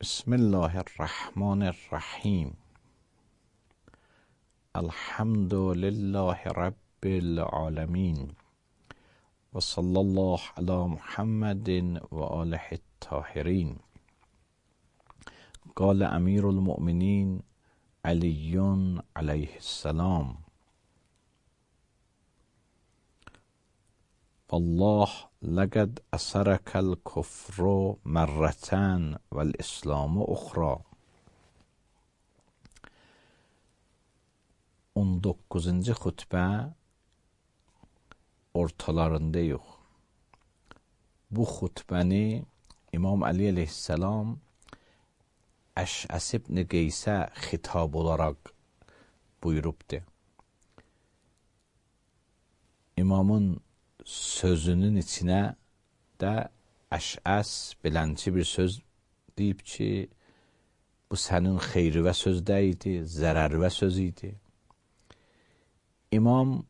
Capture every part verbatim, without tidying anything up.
بسم الله الرحمن الرحیم. الحمد لله رب العالمین و صلی الله علی محمد و آله الطاهرین. قال امیر المؤمنین علی علیه السلام: والله لقد أسرك الكفر مرتان والإسلام أخرى. on dokuzuncu xutbə ortalarındayıq. Bu xutbəni İmam Ali aleyhisselam Əş'əs ibn Qeysə xitab olaraq buyurubdur. İmamın sözünün içinə də Əş'əs belənçi bir söz deyib ki, bu sənin xeyrivə sözdə idi, zərərvə söz idi. İmam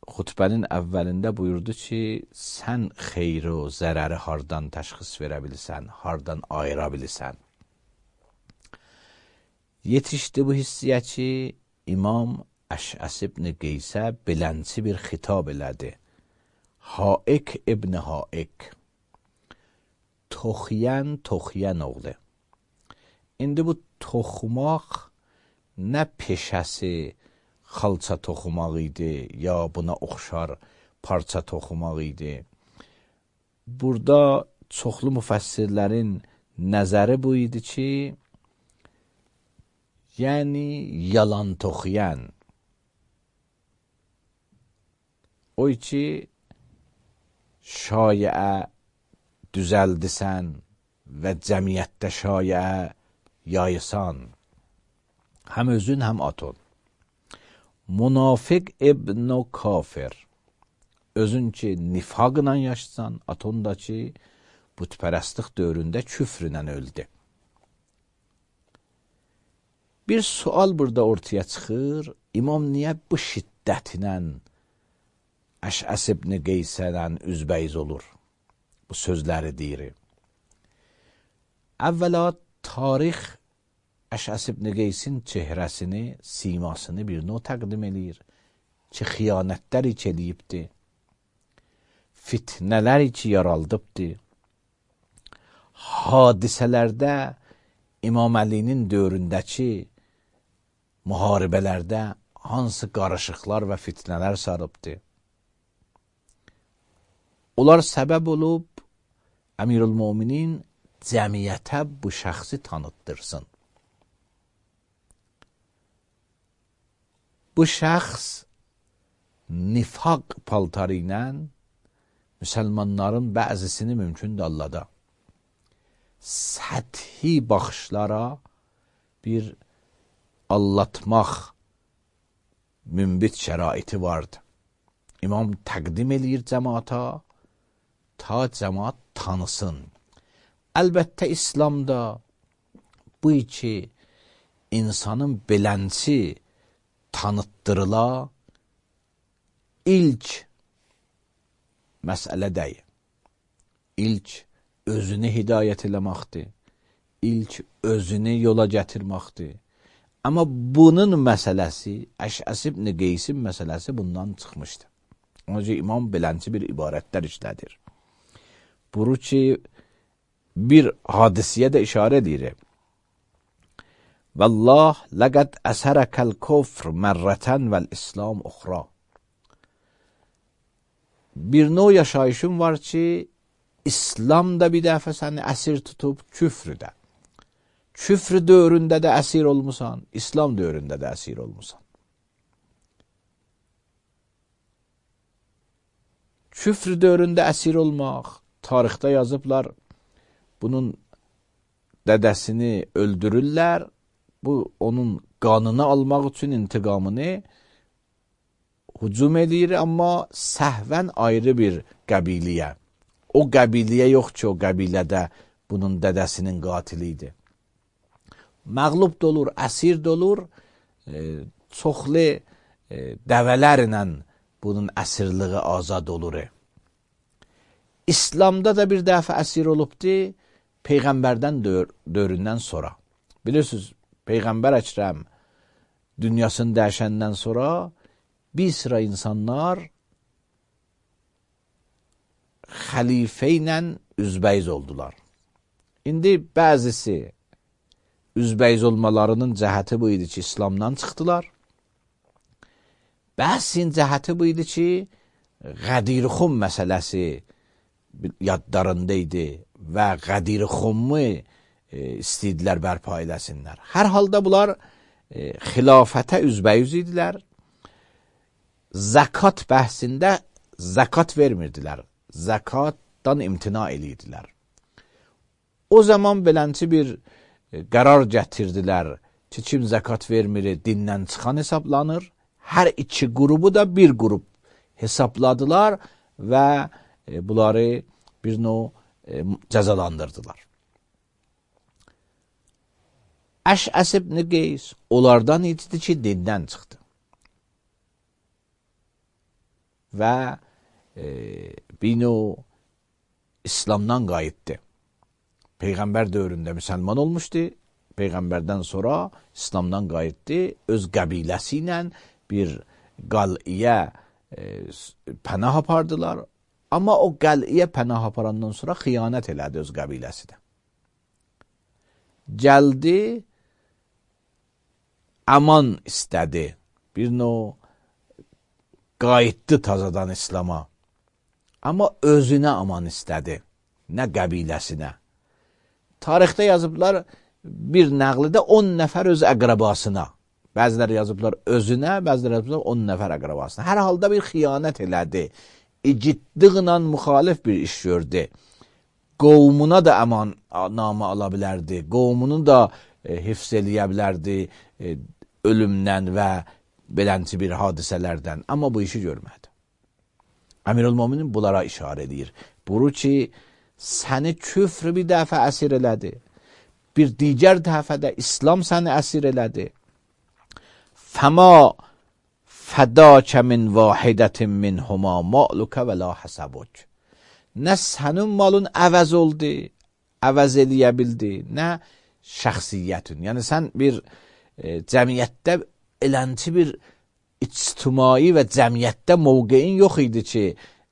xutbənin əvvəlində buyurdu ki, sən xeyri o zərəri hardan təşxis verə bilirsən, hardan ayıra bilirsən. Yetişdi bu hissiyə ki, İmam Əş'əs ibn Qeysə belənçi bir xitab elədi. Haik ibn Haik, toxuyan toxuyan oğlu. İndi bu toxumaq nə peşəsi xalça toxumaq idi, ya buna oxşar parça toxumaq idi. Burada çoxlu müfəssirlərin nəzəri bu idi ki, yəni yalan toxuyan. O ki, şayiə düzəldisən və cəmiyyətdə şayiə yayısan. Həm özün, həm atın. Munafiq ibn kafir. Özün ki, nifaqla yaşasan, atın da ki, bütpərəstlik dövründə küfrlə öldü. Bir sual burada ortaya çıxır. İmam niyə bu şiddətlə Əş'əs ibn Qeysədən üzbəyiz olur? Bu sözləri deyir. Əvvəla tarix Əş'əs ibn Qeysin çehrəsini, simasını bir növ təqdim edir ki, xiyanətlər iç eləyibdir, fitnələr iç yaraldıbdır. Hadisələrdə İmam Əlinin dövründəki müharibələrdə hansı qarışıqlar və fitnələr sarıbdır. Onlar səbəb olub Əmirül-Müminin cəmiyyətə bu şəxsi tanıtdırsın. Bu şəxs nifaq paltarı ilə müsəlmanların bəzisini mümkün də allada. Səthi baxışlara bir allatmaq münbit şəraiti vardı. İmam təqdim eləyir cəmaata, ta cəmaat tanısın. Əlbəttə, İslamda bu iki insanın belənçi tanıtdırıla ilk məsələ deyil. İlk özünü hidayət eləməkdir. İlk özünü yola gətirməkdir. Amma bunun məsələsi, Əş'əs ibn Qeysin məsələsi bundan çıxmışdır. Onun üçün İmam belənçi bir ibarətlər işlədir. Buru ki, bir hadisiyə də işarə edir. Vallah laqad əsərəkəl kufr mərrətən vəl-İslam uxra. Bir növ yaşayışın var ki, İslam da bir dəfə səni əsir tutub, küfrü də. Küfr dövründə də əsir olmusan, İslam dövründə də əsir olmusan. Küfr dövründə əsir olmaq, tarixdə yazıblar, bunun dədəsini öldürürlər, bu onun qanını almaq üçün intiqamını hücum edir, amma səhvən ayrı bir qəbiliyə. O qəbiliyə yox ki, o qəbilədə bunun dədəsinin qatili idi. Məğlub da olur, əsir də olur, e, çoxlu e, dəvələrlə bunun əsirliği azad olur. İslamda da bir dəfə əsir olubdur, Peyğəmbərdən dör, dövründən sonra. Bilirsiniz, Peyğəmbər Əkrəm dünyasını dəyişəndən sonra bir sıra insanlar xəlifə ilə üzbəyiz oldular. İndi bəzisi üzbəyiz olmalarının cəhəti bu idi ki, İslamdan çıxdılar. Bəzisinin cəhəti bu idi ki, Qədirxum məsələsi yadlarında idi və Qədirxumu e, istəydilər bərpa eləsinlər. Hər halda bunlar e, xilafətə üzbəyiz idilər. Zəkat bəhsində zəkat vermirdilər. Zəkatdan imtina edirdilər. O zaman belənçi bir e, qərar gətirdilər ki, kim zəkat vermir, dindən çıxan hesablanır. Hər iki qrubu da bir qrup hesapladılar və e, bunları bir növ e, cəzalandırdılar. Əş'əs ibn Qeys onlardan idi ki, dindən çıxdı. Və e, bir növ İslamdan qayıtdı. Peyğəmbər dövründə müsəlman olmuşdu. Peyğəmbərdən sonra İslamdan qayıtdı. Öz qəbiləsi ilə bir qal'iyə e, pənah apardılar. Amma o qal'iyə pənah aparandan sonra xiyanət elədi öz qəbiləsi də. Gəldi, aman istədi. Bir növ qayıtdı tazadan İslama. Amma özünə aman istədi. Nə qəbiləsinə. Tarixdə yazıblar, bir nəqlidə on nəfər öz əqrəbasına. Bəziləri yazıblar özünə, bəziləri yazıblar on nəfər əqrəbasına. Hər halda bir xiyanət elədi. İciddiqlə müxalif bir iş gördü. Qovmuna da əman namı ala bilərdi. Qovmunu da e, hifz eləyə bilərdi e, ölümdən və belənti bir hadisələrdən. Amma bu işi görmədi. Əmirül-Müminin bunlara işarə edir. Buru ki, səni küfr bir dəfə əsir elədi. Bir digər dəfədə İslam səni əsir elədi. Fəma fədəkə min vahidətin min huma ma'lukə və la həsəbuk. Nə sənin malın əvəz oldu, əvəz eləyə bildi, nə şəxsiyyətin. Yəni sən bir e, cəmiyyətdə elənti bir ictimai və cəmiyyətdə mövqeyin yox idi ki,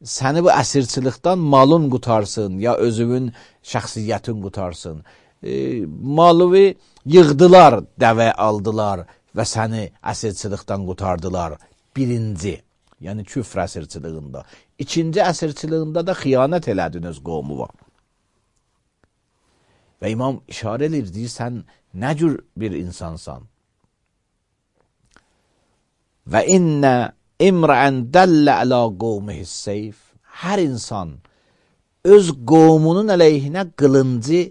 səni bu əsirçilikdən malın qutarsın, ya özünün şəxsiyyətin qutarsın. E, malıvi yığdılar, dəvə aldılar və səni əsirçilikdən qutardılar. Birinci, yəni küfr əsirçiliyində. İkinci əsirçiliyində də xiyanət elədin öz qovmu var. Və imam işarə edir, deyir, sən nə cür bir insansan? Və innə imrən dəllə ələ qovmihis seyf. Hər insan öz qovmunun əleyhinə qılıncı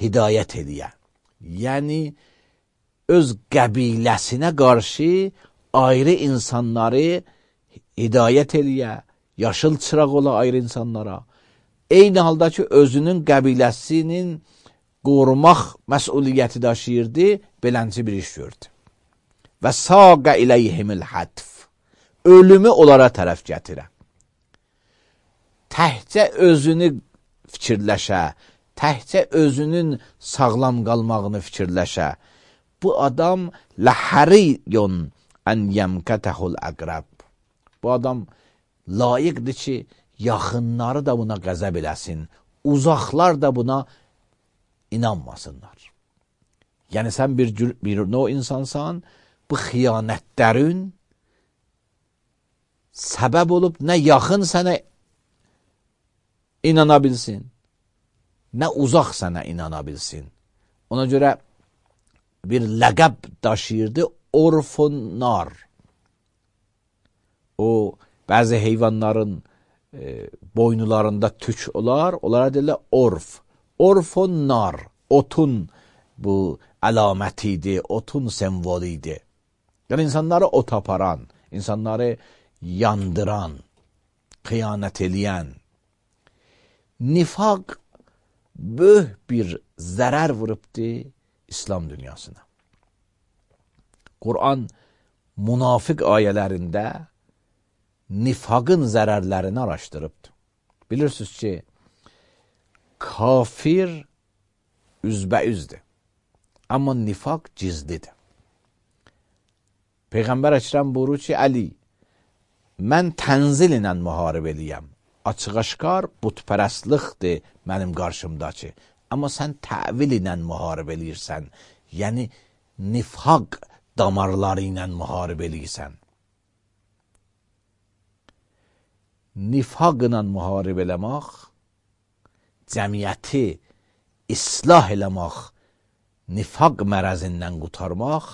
hidayət eləyə. Yəni, öz qəbiləsinə qarşı ayrı insanları hidayət eləyə, yaşıl çıraq ola ayrı insanlara. Eyni halda ki, özünün qəbiləsinin qorumaq məsuliyyəti daşıyırdı, belənci bir iş gördü. Və saqə iləyhimil hətf. Ölümü onlara tərəf gətirə. Təhcə özünü fikirləşə, təhcə özünün sağlam qalmağını fikirləşə. Bu adam ləhəriyyon ən yəmkətəhul əqrəb. Bu adam layiqdir ki, yaxınları da buna qəzəb eləsin, uzaqlar da buna inanmasınlar. Yəni sən bir, bir no insansan, bu xiyanətlərin səbəb olub nə yaxın sənə inana bilsin, nə uzaq sənə inana bilsin. Ona görə bir ləqəb daşıyırdı, orfunnar. O, bəzi heyvanların e, boynularında tük olar, onlara deyirlər orf. Orfunnar, otun bu əlaməti idi, otun semvolu idi. Yəni, insanları ot aparan, insanları yandıran, xiyanət eləyən. Nifaq böyük bir zərər vurubdu İslam dünyasına. Quran münafiq ayələrində nifaqın zərərlərini araşdırıbdır. Bilirsiniz ki, kafir üzbəüzdür. Amma nifaq gizlidir. Peyğəmbər Əkrəm buyurur ki, Əli, mən tənzil ilə müharibə eləyəm. Açıq-aşkar butpərəstlikdir mənim qarşımdakı. Amma sən təvil ilə müharibə eləyirsən. Yəni, nifaq damarları ilə müharibə eləyirsən. Nifaq ilə müharibə eləmək, cəmiyyəti islah eləmək, nifaq mərəzindən qutarmaq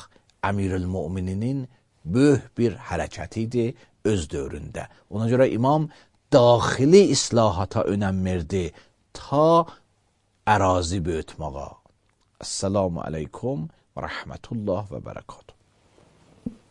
Əmirül-Mömininin böyük bir hərəkətidir öz dövründə. Ona görə imam daxili islahata önəm verdi ta ərazi böyütməğa. Esselamu aleykum və rəhmətullah və bərəkatuhu.